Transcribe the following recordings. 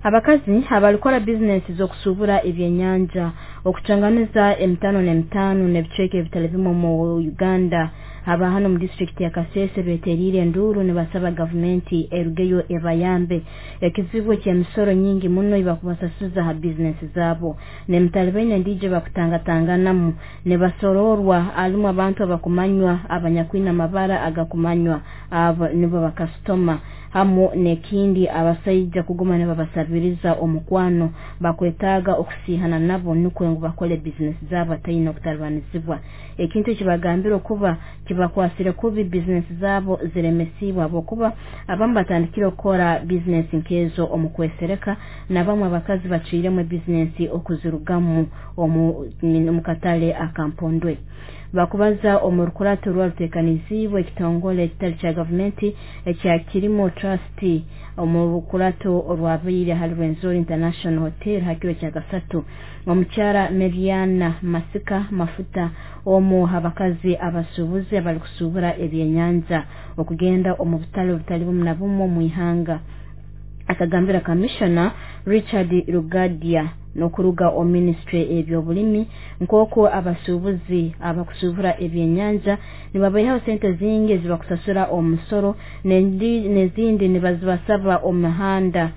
Abakazi abalikora bizinesi z'okusubura ebyenyanja okucanganiza emitano n'emitano n'ebicweka ebitali bimu mu Uganda aba hano mu disitulikiti ya Kasese beteriire enduuru nibasaba gavumenti erugeyo ebayambe. Ekizibu eky'emisoro nyingi muno ibakubasasuza ha bizinesi zaabo n'emitalibaine endiijo bakutangatanganamu nibasoroorwa alimu abantu abakumanywa abanyakwine amabara agakumanywa abo nibo bakasitoma hamu n'ekindi abasaija kuguma nibabasabiriza omukwano bakwetaaga okusiihana nabo nukwo ngu bakole bizinesi zaabo bataine okutalibanizibwa. Ekintu ekibagambire okuba kibakwasire kubi bizinesi zaabo ziremesiibwe habwokuba abamu batandikire okukora bizinesi nk'ezo omu kwesereka n'abamu abakazi bacwiremu ebizinesi okuzirugamu omu katale akampondwe. Bakubaza omu rukurato rwaruteekaniziibwe ekitongole ekitali kya gavumenti ekya Kirimo Trust omu rukurato orwabaire hali Rwenzori International Hotel ha kiro kya kasatu. Omukyara Meriana Masika Mafuta omu abakazi abasuubuzi abalikusuubura ebyenyanja okugenda omu butale obutali bumu na bumu omu ihanga akagambira Kamishona Richard Rugadia n'okuruga omu minisitule eby'obulimi nk'oku abasuubuzi abakusuubura ebyenyanja nibabaihaho sente zingi ezibakusasura omu musoro n'ezindi nibazibasaba omu mihanda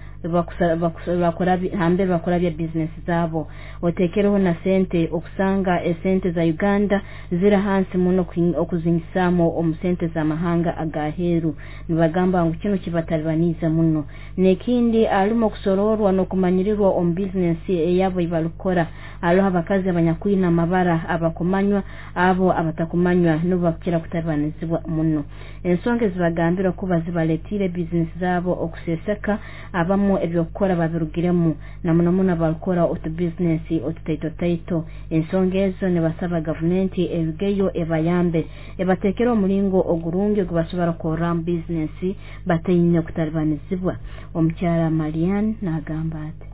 hambere bakurabya bizinesi zaabo. Oteekereho na sente okusanga esente za Uganda ziri hansi muno okuzingisaamu omu sente z'amahanga agaheeru. Nibagamba ngu kinu kibatalibaniize muno. N'ekindi alimu okusoroorwa n'okumanyirirwa omu bizinesi eyabo eibarukukora. Haroho abakazi abanyakwine amabara abakumanywa abo abatakumanywa nibo bakukira kutalibanizibwa muno. Ensonga ezibagambira kuba zibaletiire bizinesi zaabo okuseseka abamu ebyokukora babirugiremu na muno muno abarukukora otubizinesi otutaitotaito. Ensonga ezo nibasaba gavumenti erugeyo ebayambe ebateekere omulingo ogurungi ogubasobora kukorramu bizinesi bataine kutalibanizibwa. Omukyara Marianne n'agamba ati: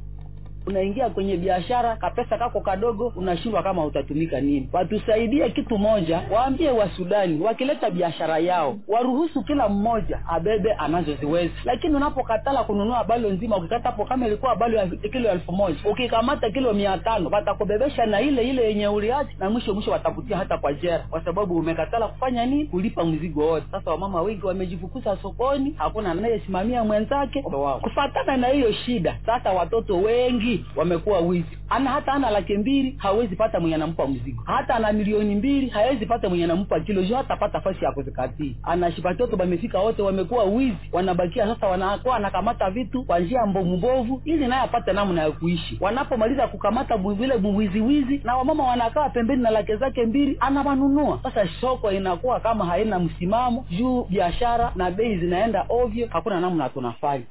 Unaingia kwenye biashara kapesa kako kadogo, unashindwa kama utatumika nini. Watusaidie kitu moja, waambie wa Sudani wakileta biashara yao waruhusu kila mmoja abebe anazoziweza, lakini unapokatala kununua balo nzima, ukikata hapo kama ilikuwa balo ya kilo 1000 ukikamata kilo 500 watakubebesha na ile ile yenye uliacha, na mwisho mwisho watakutia hata kwa jera, kwa sababu umekatala kufanya nini? Kulipa mzigo wote. Sasa wamama wengi wamejifukuza sokoni, hakuna anayesimamia mwenzake wao. Kufatana na hiyo shida, sasa watoto wengi wamekuwa wizi. Ana hata ana 200,000 hawezi pata mwenye anampa mzigo, hata ana 2,000,000 hawezi pata mwenye anampa kilo juu hatapata fasi ya kuzikatia. Anashipatoto bamefika wote wamekuwa wizi, wanabakia sasa wanakuwa anakamata vitu kwa njia mbovu mbovu ili naye apate namna ya kuishi. Wanapomaliza kukamata vile wizi wizi, na wamama wanakaa pembeni na laki zake 2 anawanunua. Sasa soko inakuwa kama haina msimamo juu biashara na bei zinaenda ovyo, hakuna namna tunafanya.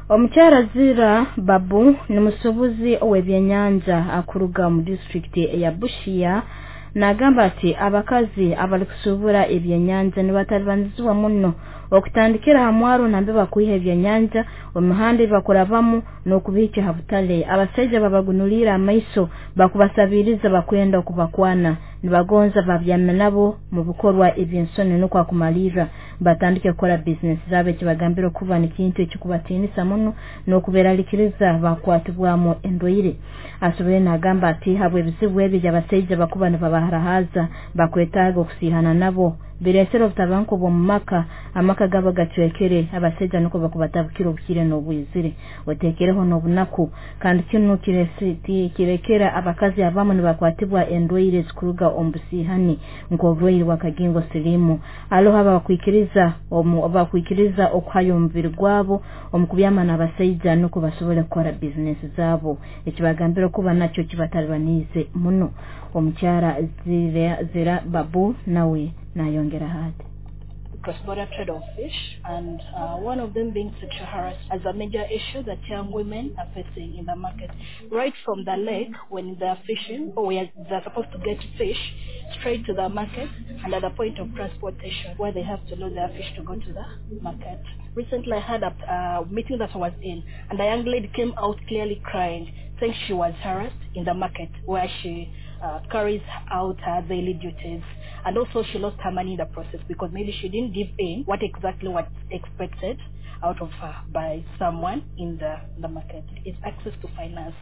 Omukyara Zira Babu ni musuubuzi ow'ebyenyanja akuruga mu disitulikiti ya Busia n'agamba ati abakazi abalikusuubura ebyenyanja nibatalibanizibwa muno okutandikira ha mwaro nambe bakwiha ebyenyanja omuhanda ebakurabamu n'okubihikya ha butale. Abasaija babagunulira amaiso bakubasabiriza bakwenda okubakwana nibagonza babyame nabo mu bikorwa eby'ensoni nukwo akumalirra batandike kukora bizinesi zaabo. Ekibagambira okuba nikintu ekikubatiinisa muno n'okuberalikiriza bakwatibwamu endwaire. Asoboire n'agamba ati habw'ebizibu ebi eby'abasaija bakuba nibabaharahaza bakwetaaga okusiihana nabo bireesere obutabanguko bw'omu maka, amaka gabo gacwekere, abasaija nukwo bakubatabukira obukire n'obwizire oteekereho n'obunaku. Kandi kinu kirekera abakazi abamu nibakwatibwa endwaire ezikuruga omu busiihani nk'oburwaire bw'akagingo siriimu. Haroho abakwikiriza okuhayo omubiri gwabo omu kubyama n'abasaija nukwo basobole kukora bizinesi zaabo. Ekibagambira okuba nakyo kibatalibaniize muno. Omukyara Zira Babu nawe nayongera hati. Cross-border trade of fish, and one of them being sexual harassment as a major issue that young women are facing in the market. Right from the lake when they are fishing, or where they are supposed to get fish, straight to the market, and at the point of transportation where they have to load their fish to go to the market. Recently I had a meeting that I was in, and a young lady came out clearly crying, saying she was harassed in the market where she carries out her daily duties. And also she lost her money in the process because maybe she didn't give in what exactly was expected out of her by someone in the market. It's access to finance.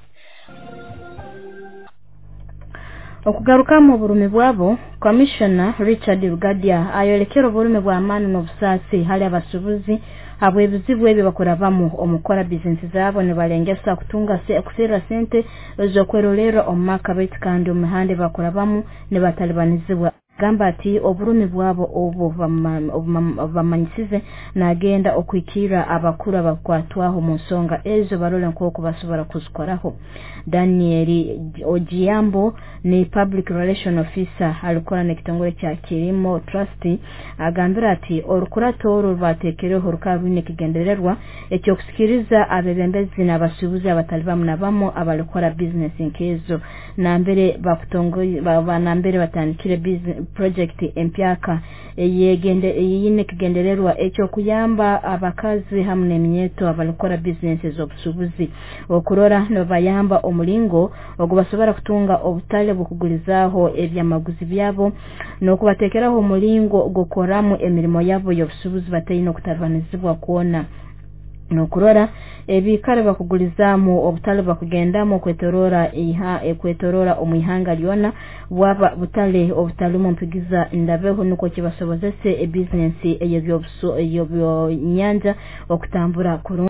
Okugarukamu oburumi bwabo, Commissioner Richard Rugadia ayolekera oburumi bw'amaani n'obusaasi hali abasuubuzi habw'ebizibu ebi bakurabamu omu kukora bizinesi zaabo, nibalengesa kutunga kuserra sente ez'okwerolerra omu maka, baitu kandi omu mihanda bakurabamu nibatalibanizibwa. Gamba ati oburumi bwabo obu bamanyisize nagenda okuhikirra abakuru abakwatwaho mu nsonga ezo, barole nk'oku basobora kuzikoraho. Daniel Ojiambo ni public relation officer alikora n'ekitongole kya Kilimo Trust, agambira ati orukurato oru rwateekereho rukaba rwine ekigendererwa ekyokusikiriza abebembezi n'abasuubuzi abatali bamu na bamu abalikora bizinesi nk'ezo, nambere nambere batandikire project empyaka eyine ekigendererwa ekyokuyamba abakazi hamu n'eminyeto abalikora bizinesi z'obusuubuzi, okurora nibabayamba omulingo ogubasobora kutunga obutale bw'okugulizaaho ebyamaguzi byabo n'okubateekeraho omulingo gw'okukoramu emirimo yabo y'obusuubuzi bataine okutalibanizibwa kwona, n'okurora ebiikaro bakugulizaamu obutale bakugendamu okwetorora omu ihanga lyona bwaba butale obutalimu mpigiza ndabeho, nukwo kibasobozese ebizinesi ey'ebyobunyanja okutambura kurungi.